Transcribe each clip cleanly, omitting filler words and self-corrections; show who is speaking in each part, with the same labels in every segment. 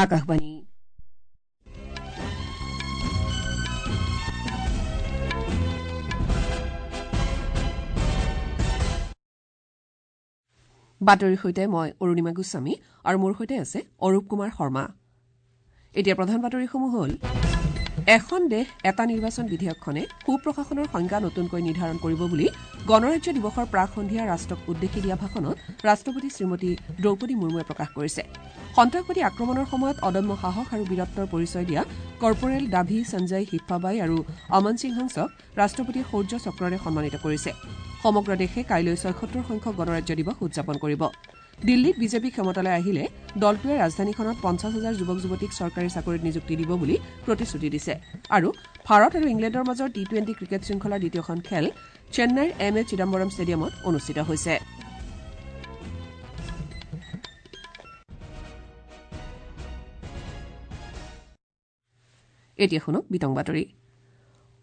Speaker 1: আকাশবাণী। বাতৰিৰ সৈতে মই অৰুণিমা গোস্বামী আৰু মোৰ সৈতে আছে অৰূপ কুমাৰ শৰ্মা। এতিয়া প্ৰধান বাতৰিসমূহ হ'ল: এখন দেশ এটা নিৰ্বাচন বিধেয়কখনে সুপ্ৰশাসনৰ সংজ্ঞা নতুনকৈ নিৰ্ধাৰণ কৰিব বুলি গণৰাজ্য দিৱসৰ প্ৰাক সন্ধিয়া ৰাষ্ট্ৰক উদ্দেশ্যি দিয়া ভাষণত ৰাষ্ট্ৰপতি শ্ৰীমতী দ্ৰৌপদী মুৰ্মুৱে প্ৰকাশ কৰিছে। সন্ত্ৰাসবাদী আক্ৰমণৰ সময়ত অদম্য সাহস আৰু বীৰত্বৰ পৰিচয় দিয়া কৰ্পৰেল ডাভি সঞ্জয় হিফাবাই আৰু অমন সিং হংসক ৰাষ্ট্ৰপতিয়ে শৌৰ্য চক্ৰৰে সন্মানিত কৰিছে। সমগ্ৰ দেশে কাইলৈ ৭৬ সংখ্যক গণৰাজ্য দিৱস উদযাপন কৰিব। দিল্লীত বিজেপি ক্ষমতালৈ আহিলে দলটোৱে ৰাজধানীখনত ৫০ হাজাৰ যুৱক যুৱতীক চৰকাৰী চাকৰিত নিযুক্তি দিব বুলি প্ৰতিশ্ৰুতি দিছে। আৰু ভাৰত আৰু ইংলেণ্ডৰ মাজৰ টি-টুৱেণ্টি ক্ৰিকেট শৃংখলাৰ দ্বিতীয়খন খেল চেন্নাইৰ এম এ চিদাম্বৰম ষ্টেডিয়ামত অনুষ্ঠিত হৈছে। এতিয়া শুনক বিতং বাতৰি।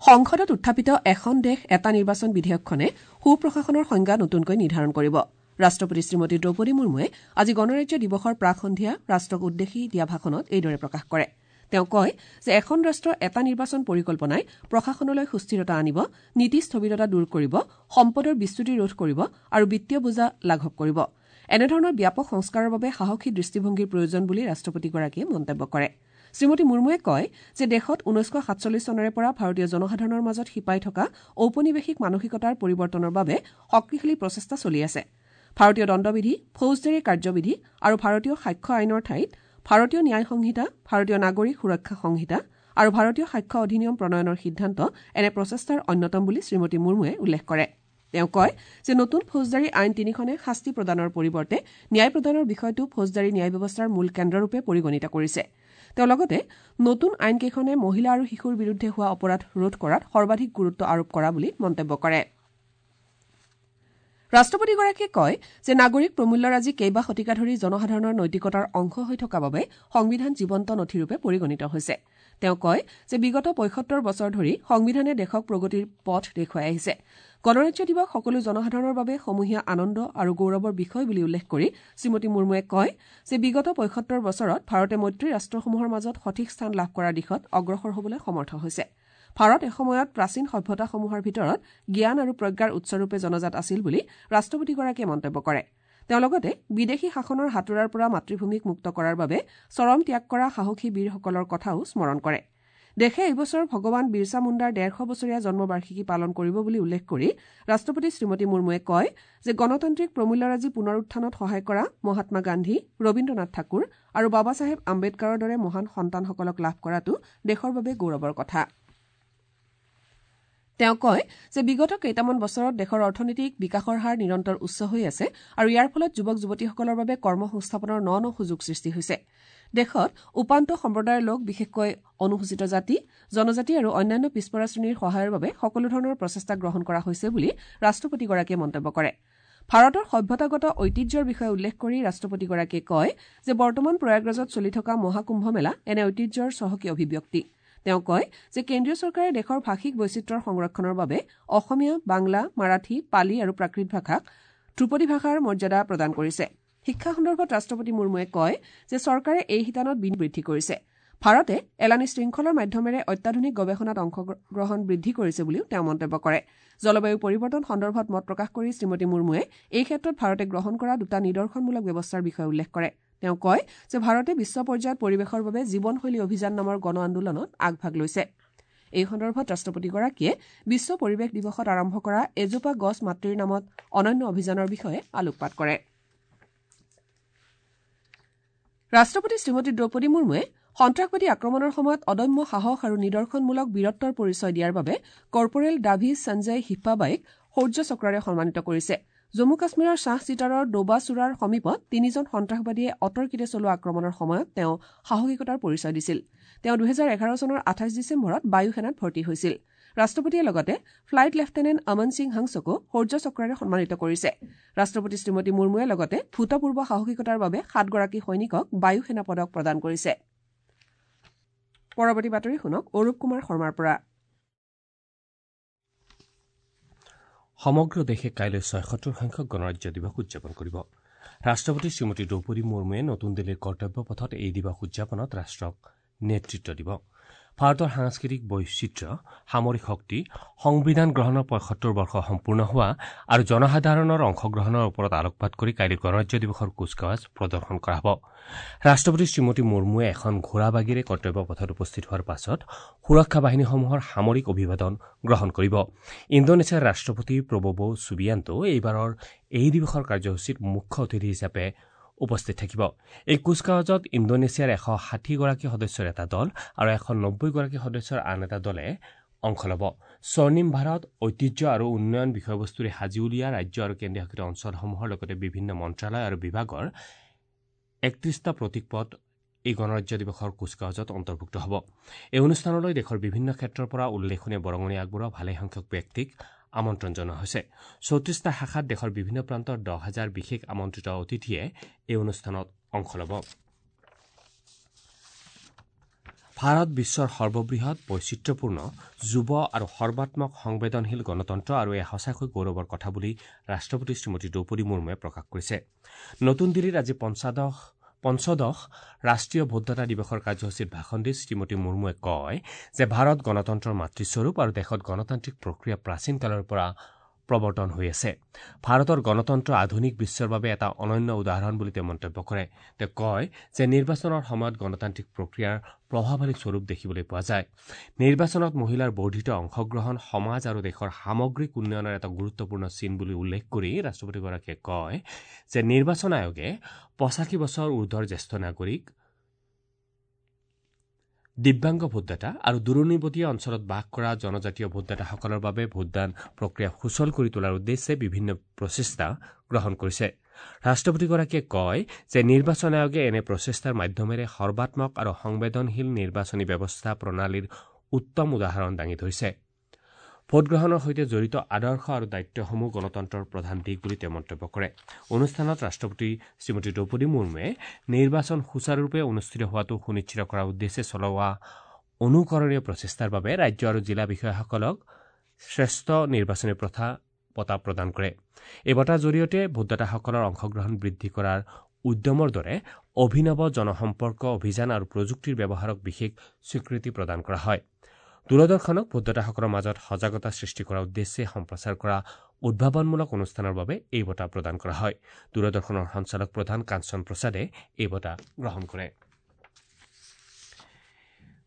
Speaker 1: সংসদত উত্থাপিত এখন দেশ এটা নিৰ্বাচন বিধেয়কখনে সুপ্ৰশাসনৰ সংজ্ঞা নতুনকৈ নিৰ্ধাৰণ কৰিব। ৰাষ্ট্ৰপতি শ্ৰীমতী দ্ৰৌপদী মুৰ্মুৱে আজি গণৰাজ্য দিৱসৰ প্ৰাক সন্ধিয়া ৰাষ্ট্ৰক উদ্দেশ্যি দিয়া ভাষণত এইদৰে প্ৰকাশ কৰে। তেওঁ কয় যে এখন ৰাষ্ট্ৰ এটা নিৰ্বাচন পৰিকল্পনাই প্ৰশাসনলৈ সুস্থিৰতা আনিব, নীতি স্থবিৰতা দূৰ কৰিব, সম্পদৰ বিচ্যুতি ৰোধ কৰিব আৰু বিত্তীয় বোজা লাঘৱ কৰিব। এনেধৰণৰ ব্যাপক সংস্কাৰৰ বাবে সাহসী দৃষ্টিভংগীৰ প্ৰয়োজন বুলি ৰাষ্ট্ৰপতিগৰাকীয়ে মন্তব্য কৰে। শ্ৰীমতী মুৰ্মুৱে কয় যে দেশত ১৯৪৭ চনৰে পৰা ভাৰতীয় জনসাধাৰণৰ মাজত শিপাই থকা ঔপনিৱেশিক মানসিকতাৰ পৰিৱৰ্তনৰ বাবে শক্তিশালী প্ৰচেষ্টা চলি আছে। ভাৰতীয় দণ্ডবিধি, ফৌজদাৰী কাৰ্যবিধি আৰু ভাৰতীয় সাক্ষ্য আইনৰ ঠাইত ভাৰতীয় ন্যায় সংহিতা, ভাৰতীয় নাগৰিক সুৰক্ষা সংহিতা আৰু ভাৰতীয় সাক্ষ্য অধিনিয়ম প্ৰণয়নৰ সিদ্ধান্ত এনে প্ৰচেষ্টাৰ অন্যতম বুলি শ্ৰীমতী মুৰ্মুৱে উল্লেখ কৰে। তেওঁ কয় যে নতুন ফৌজদাৰী আইন তিনিখনে শাস্তি প্ৰদানৰ পৰিৱৰ্তে ন্যায় প্ৰদানৰ বিষয়টো ফৌজদাৰী ন্যায় ব্যৱস্থাৰ মূল কেন্দ্ৰৰূপে পৰিগণিত কৰিছে। তেওঁ লগতে নতুন আইনকেইখনে মহিলা আৰু শিশুৰ বিৰুদ্ধে হোৱা অপৰাধ ৰোধ কৰাত সৰ্বাধিক গুৰুত্ব আৰোপ কৰা বুলি মন্তব্য কৰে। ৰাষ্ট্ৰপতিগৰাকীয়ে কয় যে নাগৰিক প্ৰমূল্যৰাজি কেইবা শতিকা ধৰি জনসাধাৰণৰ নৈতিকতাৰ অংশ হৈ থকা বাবে সংবিধান জীৱন্ত নথিৰূপে পৰিগণিত হৈছে। তেওঁ কয় যে বিগত ৭৫ বছৰ ধৰি সংবিধানে দেশক প্ৰগতিৰ পথ দেখুৱাই আহিছে। গণৰাজ্য দিৱস সকলো জনসাধাৰণৰ বাবে সমূহীয়া আনন্দ আৰু গৌৰৱৰ বিষয় বুলি উল্লেখ কৰি শ্ৰীমতী মুৰ্মুৱে কয় যে বিগত ৭৫ বছৰত ভাৰতে মৈত্ৰী ৰাষ্ট্ৰসমূহৰ মাজত সঠিক স্থান লাভ কৰাৰ দিশত অগ্ৰসৰ হ'বলৈ সমৰ্থ হৈছে। ভাৰত এসময়ত প্ৰাচীন সভ্যতাসমূহৰ ভিতৰত জ্ঞান আৰু প্ৰজ্ঞাৰ উৎসৰূপে জনাজাত আছিল বুলি ৰাষ্ট্ৰপতিগৰাকীয়ে মন্তব্য কৰে। তেওঁ লগতে বিদেশী শাসনৰ হাতোৰাৰ পৰা মাতৃভূমিক মুক্ত কৰাৰ বাবে চৰম ত্যাগ কৰা সাহসী বীৰসকলৰ কথাও স্মৰণ কৰে। দেশে এইবছৰ ভগৱান বিৰছা মুণ্ডাৰ ১৫০ বছৰীয়া জন্মবাৰ্ষিকী পালন কৰিব বুলি উল্লেখ কৰি ৰাষ্ট্ৰপতি শ্ৰীমতী মুৰ্মুৱে কয় যে গণতান্ত্ৰিক প্ৰমূল্যৰাজি পুনৰুত্থানত সহায় কৰা মহাত্মা গান্ধী, ৰবীন্দ্ৰনাথ ঠাকুৰ আৰু বাবা চাহেব আম্বেদকাৰৰ দৰে মহান সন্তানসকলক লাভ কৰাটো দেশৰ বাবে গৌৰৱৰ কথা। তেওঁ কয় যে বিগত কেইটামান বছৰত দেশৰ অৰ্থনৈতিক বিকাশৰ হাৰ নিৰন্তৰ উচ্চ হৈ আছে আৰু ইয়াৰ ফলত যুৱক যুৱতীসকলৰ বাবে কৰ্মসংস্থাপনৰ ন ন সুযোগ সৃষ্টি হৈছে। দেশত উপান্ত সম্প্ৰদায়ৰ লোক, বিশেষকৈ অনুসূচিত জাতি, জনজাতি আৰু অন্যান্য পিছপৰা শ্ৰেণীৰ সহায়ৰ বাবে সকলো ধৰণৰ প্ৰচেষ্টা গ্ৰহণ কৰা হৈছে বুলি ৰাষ্ট্ৰপতিগৰাকীয়ে মন্তব্য কৰে। ভাৰতৰ সভ্যতাগত ঐতিহ্যৰ বিষয়ে উল্লেখ কৰি ৰাষ্ট্ৰপতিগৰাকীয়ে কয় যে বৰ্তমান প্ৰয়াগৰাজত চলি থকা মহাকুম্ভ মেলা এনে ঐতিহ্যৰ চহকী অভিব্যক্তি। তেওঁ কয় যে কেন্দ্ৰীয় চৰকাৰে দেশৰ ভাষিক বৈচিত্ৰ্যৰ সংৰক্ষণৰ বাবে অসমীয়া, বাংলা, মাৰাঠী, পালি আৰু প্ৰাকৃত ভাষাক ধ্ৰুপদী ভাষাৰ মৰ্যাদা প্ৰদান কৰিছে। শিক্ষা সন্দৰ্ভত ৰাষ্ট্ৰপতি মুৰ্মুৱে কয় যে চৰকাৰে এই শিতানত বিনিয়োগ বৃদ্ধি কৰিছে। ভাৰতে এলানি শৃংখলৰ মাধ্যমেৰে অত্যাধুনিক গৱেষণাত অংশগ্ৰহণ বৃদ্ধি কৰিছে বুলিও তেওঁ মন্তব্য কৰে। জলবায়ু পৰিৱৰ্তন সন্দৰ্ভত মত প্ৰকাশ কৰি শ্ৰীমতী মুৰ্মুৱে এই ক্ষেত্ৰত ভাৰতে গ্ৰহণ কৰা দুটা নিদৰ্শনমূলক ব্যৱস্থাৰ বিষয়ে উল্লেখ কৰে। তেওঁ কয় যে ভাৰতে বিশ্ব পৰ্যায়ত পৰিৱেশৰ বাবে জীৱনশৈলী অভিযান নামৰ গণ আন্দোলনত আগভাগ লৈছে। এই সন্দৰ্ভত ৰাষ্ট্ৰপতিগৰাকীয়ে বিশ্ব পৰিৱেশ দিৱসত আৰম্ভ কৰা এজোপা গছ মাতৃৰ নামত অনন্য অভিযানৰ বিষয়ে আলোকপাত কৰে। ৰাষ্ট্ৰপতি শ্ৰীমতী দ্ৰৌপদী মুৰ্মুৱে সন্ত্ৰাসবাদী আক্ৰমণৰ সময়ত অদম্য সাহস আৰু নিদৰ্শনমূলক বীৰত্বৰ পৰিচয় দিয়াৰ বাবে কৰ্পৰেল ডাভি সঞ্জয় হিফাবাইক শৌৰ্য চক্ৰৰে সন্মানিত কৰিছে। জম্মু কাশ্মীৰৰ শ্বাহ চিটাৰৰ ডোবাচুৰাৰ সমীপত তিনিজন সন্ত্ৰাসবাদীয়ে অতৰ্কিতে চলোৱা আক্ৰমণৰ সময়ত তেওঁ সাহসিকতাৰ পৰিচয় দিছিল। তেওঁ ২০১১ চনৰ ২৮ ডিচেম্বৰত বায়ু সেনাত ভৰ্তি হৈছিল। ৰাষ্ট্ৰপতিয়ে লগতে ফ্লাইট লেফটেনেণ্ট অমন সিং হংসকো শৌৰ্য চক্ৰৰে সন্মানিত কৰিছে। ৰাষ্ট্ৰপতি শ্ৰীমতী মুৰ্মুৱে লগতে ভূতপূৰ্ব সাহসিকতাৰ বাবে ৭গৰাকী সৈনিকক বায়ু সেনা পদক প্ৰদান কৰিছে। পৰৱৰ্তী বাতৰি শুনক অৰূপ কুমাৰ শৰ্মাৰ পৰা।
Speaker 2: সমগ্ৰ দেশে কাইলৈ ৭৬ সংখ্যক গণৰাজ্য দিৱস উদযাপন কৰিব। ৰাষ্ট্ৰপতি শ্ৰীমতী দ্ৰৌপদী মুৰ্মুৱে নতুন দিল্লীৰ কৰ্তব্য পথত এই দিৱস উদযাপনত ৰাষ্ট্ৰক নেতৃত্ব দিব। ভাৰতৰ সাংস্কৃতিক বৈচিত্ৰ্য, সামৰিক শক্তি, সংবিধান গ্ৰহণৰ ৭৫ বৰ্ষ সম্পূৰ্ণ হোৱা আৰু জনসাধাৰণৰ অংশগ্ৰহণৰ ওপৰত আলোকপাত কৰি কাইলৈ গণৰাজ্য দিৱসৰ কুচকাৱাজ প্ৰদৰ্শন কৰা হ'ব। ৰাষ্ট্ৰপতি শ্ৰীমতী মুৰ্মুৱে এখন ঘোঁৰাবাগীৰে কৰ্তব্য পথত উপস্থিত হোৱাৰ পাছত সুৰক্ষা বাহিনীসমূহৰ সামৰিক অভিবাদন গ্ৰহণ কৰিব। ইণ্ডোনেছিয়াৰ ৰাষ্ট্ৰপতি প্ৰব'ব' ছুবিয়ান্তো এইবাৰৰ এই দিৱসৰ কাৰ্যসূচীত মুখ্য অতিথি হিচাপে উপস্থিত থাকিব। এই কুচকাৱাজত ইণ্ডোনেছিয়াৰ ১৬০গৰাকী সদস্যৰ এটা দল আৰু ১৯০গৰাকী সদস্যৰ আন এটা দলে অংশ ল'ব। স্বৰ্ণিম ভাৰত, ঐতিহ্য আৰু উন্নয়ন বিষয়বস্তুৰে সাজি উলিওৱা ৰাজ্য আৰু কেন্দ্ৰীয় শাসিত অঞ্চলসমূহৰ লগতে বিভিন্ন মন্ত্ৰালয় আৰু বিভাগৰ ৩১টা প্ৰতীকপট এই গণৰাজ্য দিৱসৰ কুচকাৱাজত অন্তৰ্ভুক্ত হ'ব। এই অনুষ্ঠানলৈ দেশৰ বিভিন্ন ক্ষেত্ৰৰ পৰা উল্লেখনীয় বৰঙণি আগবঢ়োৱা ভালেসংখ্যক ব্যক্তিক আমন্ত্ৰণ জনোৱা হৈছে। ৩৪টা শাখাত দেশৰ বিভিন্ন প্ৰান্তৰ ১০,০০০ বিশেষ আমন্ত্ৰিত অতিথিয়ে এই অনুষ্ঠানত অংশ ল'ব। ভাৰত বিশ্বৰ সৰ্ববৃহৎ, বৈচিত্ৰ্যপূৰ্ণ, যুৱ আৰু সৰ্বাত্মক সংবেদনশীল গণতন্ত্ৰ আৰু এয়া সঁচাকৈ গৌৰৱৰ কথা বুলি ৰাষ্ট্ৰপতি শ্ৰীমতী দ্ৰৌপদী মুৰ্মুৱে প্ৰকাশ কৰিছে। নতুন দিল্লীত আজি পঞ্চদশ ৰাষ্ট্ৰীয় ভোটদাতা দিৱসৰ কাৰ্যসূচীত ভাষণ দি শ্ৰীমতী মুৰ্মুৱে কয় যে ভাৰত গণতন্ত্ৰৰ মাতৃস্বৰূপ আৰু দেশত গণতান্ত্ৰিক প্ৰক্ৰিয়া প্ৰাচীন কালৰ পৰা প্ৰৱৰ্তন হৈ আছে। ভাৰতৰ গণতন্ত্ৰ আধুনিক বিশ্বৰ বাবে এটা অনন্য উদাহৰণ বুলি তেওঁ মন্তব্য কৰে। তেওঁ কয় যে নিৰ্বাচনৰ সময়ত গণতান্ত্ৰিক প্ৰক্ৰিয়াৰ প্ৰভাৱশালী স্বৰূপ দেখিবলৈ পোৱা যায়। নিৰ্বাচনত মহিলাৰ বৰ্ধিত অংশগ্ৰহণ সমাজ আৰু দেশৰ সামগ্ৰিক উন্নয়নৰ এটা গুৰুত্বপূৰ্ণ চিন বুলি উল্লেখ কৰি ৰাষ্ট্ৰপতিগৰাকীয়ে কয় যে নিৰ্বাচন আয়োগে ৮৫ বছৰ ঊৰ্ধৰ জ্যেষ্ঠ নাগৰিক, দিব্যাংগ ভোটদাতা আৰু দূৰণিবটীয়া অঞ্চলত বাস কৰা জনজাতীয় ভোটদাতাসকলৰ বাবে ভোটদান প্ৰক্ৰিয়া সুচল কৰি তোলাৰ উদ্দেশ্যে বিভিন্ন প্ৰচেষ্টা গ্ৰহণ কৰিছে। ৰাষ্ট্ৰপতিগৰাকীয়ে কয় যে নিৰ্বাচন আয়োগে এনে প্ৰচেষ্টাৰ মাধ্যমেৰে সৰ্বাত্মক আৰু সংবেদনশীল নিৰ্বাচনী ব্যৱস্থা প্ৰণালীৰ উত্তম উদাহৰণ দাঙি ধৰিছে। ভোটগ্ৰহণৰ সৈতে জড়িত আদৰ্শ আৰু দায়িত্বসমূহ গণতন্ত্ৰৰ প্ৰধান দিশ বুলি তেওঁ মন্তব্য কৰে। অনুষ্ঠানত ৰাষ্ট্ৰপতি শ্ৰীমতী দ্ৰৌপদী মুৰ্মুৱে নিৰ্বাচন সুচাৰুৰূপে অনুষ্ঠিত হোৱাটো সুনিশ্চিত কৰাৰ উদ্দেশ্যে চলোৱা অনুকৰণীয় প্ৰচেষ্টাৰ বাবে ৰাজ্য আৰু জিলা বিষয়াসকলক শ্ৰেষ্ঠ নিৰ্বাচনী প্ৰথা বঁটা প্ৰদান কৰে। এই বঁটাৰ জৰিয়তে ভোটদাতাসকলৰ অংশগ্ৰহণ বৃদ্ধি কৰাৰ উদ্যমৰ দৰে অভিনৱ জনসম্পৰ্ক অভিযান আৰু প্ৰযুক্তিৰ ব্যৱহাৰক বিশেষ স্বীকৃতি প্ৰদান কৰা হয়। দূৰদৰ্শনক ভোটদাতাসকলৰ মাজত সজাগতা সৃষ্টি কৰাৰ উদ্দেশ্যে সম্প্ৰচাৰ কৰা উদ্ভাৱনমূলক অনুষ্ঠানৰ বাবে এই বঁটা প্ৰদান কৰা হয়। দূৰদৰ্শনৰ সঞ্চালক প্ৰধান কাঞ্চন প্ৰসাদে এই বঁটা গ্ৰহণ কৰে।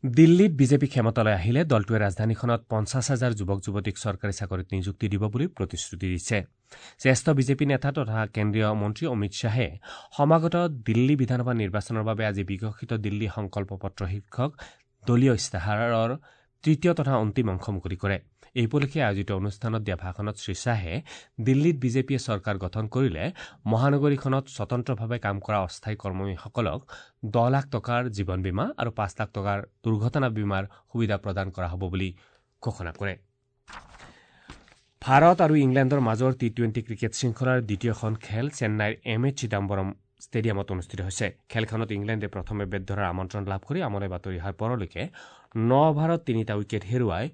Speaker 2: দিল্লীত বিজেপি ক্ষমতালৈ আহিলে দলটোৱে ৰাজধানীখনত ৫০,০০০ যুৱক যুৱতীক চৰকাৰী চাকৰিত নিযুক্তি দিব বুলি প্ৰতিশ্ৰুতি দিছে। জ্যেষ্ঠ বিজেপি নেতা তথা কেন্দ্ৰীয় মন্ত্ৰী অমিত শ্বাহে সমাগত দিল্লী বিধানসভা নিৰ্বাচনৰ বাবে আজি বিকশিত দিল্লী সংকল্প পত্ৰ শীৰ্ষক দলীয় ইস্তাহাৰৰ তৃতীয় তথা অন্তিম অংশ মুকলি কৰে। এই উপলক্ষে আয়োজিত অনুষ্ঠানত দিয়া ভাষণত শ্ৰীশ্বাহে দিল্লীত বিজেপিয়ে চৰকাৰ গঠন কৰিলে মহানগৰীখনত স্বতন্ত্ৰভাৱে কাম কৰা অস্থায়ী কৰ্মীসকলক ১০ লাখ টকাৰ জীৱন বীমা আৰু ৫ লাখ টকাৰ দুৰ্ঘটনা বীমাৰ সুবিধা প্ৰদান কৰা হ'ব বুলি ঘোষণা কৰে। ভাৰত আৰু ইংলেণ্ডৰ মাজৰ টি-টুৱেণ্টি ক্ৰিকেট শৃংখলাৰ দ্বিতীয়খন খেল চেন্নাইৰ এম এ চিদাম্বৰম ষ্টেডিয়ামত অনুষ্ঠিত হৈছে। খেলখনত ইংলেণ্ডে প্ৰথমে বেট ধৰাৰ আমন্ত্ৰণ লাভ কৰি আমনে বাতৰি অহাৰ পৰলৈকে ৯ অভাৰত ৩টা উইকেট হেৰুৱাই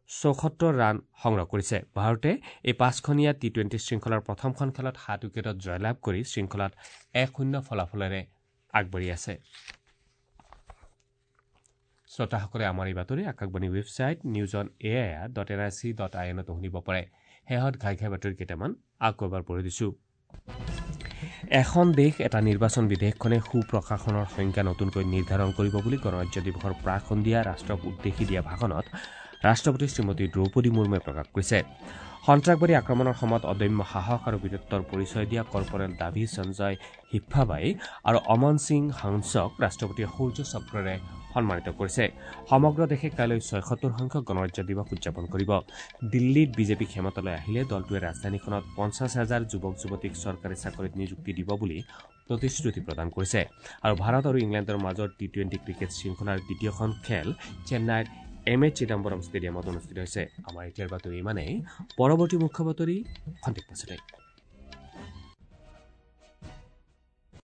Speaker 2: ৭৪ ৰান সংগ্ৰহ কৰিছে। ভাৰতে এই ৫খনীয়া টি-টুৱেণ্টি শৃংখলাৰ প্ৰথমখন খেলত ৭ উইকেটত জয়লাভ কৰি শৃংখলাত ১-০ ফলাফলেৰে আগবাঢ়ি আছে। শ্ৰোতাসকলে আমাৰ এই বাতৰি Akashvani website news on air.nic.in শুনিব পাৰে। শেহত ঘাই ঘাই বাতৰি কেইটামান আকৌ এবাৰ পঢ়ি দিছোঁ। এখন দেশ এটা নিৰ্বাচন বিধেয়কখনে সুপ্ৰশাসনৰ সংজ্ঞা নতুনকৈ নিৰ্ধাৰণ কৰিব বুলি গণৰাজ্য দিৱসৰ প্ৰাক সন্ধিয়া ৰাষ্ট্ৰক উদ্দেশ্যি দিয়া ভাষণত ৰাষ্ট্ৰপতি শ্ৰীমতী দ্ৰৌপদী মুৰ্মুৱে প্ৰকাশ কৰিছে। সন্ত্ৰাসবাদী আক্ৰমণৰ সময়ত অদম্য সাহস আৰু বীৰত্বৰ পৰিচয় দিয়া কৰ্পৰেল দাভি সঞ্জয় হিফাবাই আৰু অমন সিং হাংসক ৰাষ্ট্ৰপতিয়ে শৌৰ্য চক্ৰৰে সন্মানিত কৰিছে। সমগ্ৰ দেশে কাইলৈ ৭৬ সংখ্যক গণৰাজ্য দিৱস উদযাপন কৰিব। দিল্লীত বিজেপি ক্ষমতালৈ আহিলে দলটোৱে ৰাজধানীখনত ৫০,০০০ যুৱক যুৱতীক চৰকাৰী চাকৰিত নিযুক্তি দিব বুলি প্ৰতিশ্ৰুতি প্ৰদান কৰিছে। আৰু ভাৰত আৰু ইংলেণ্ডৰ মাজৰ টি-টুৱেণ্টি ক্ৰিকেট শৃংখলাৰ দ্বিতীয়খন খেল চেন্নাইৰ এম এ চিদাম্বৰম ষ্টেডিয়ামত অনুষ্ঠিত হৈছে। আমাৰ এতিয়াৰ বাতৰি ইমানেই। পৰৱৰ্তী মুখ্য বাতৰি খন্তেক পাছতে।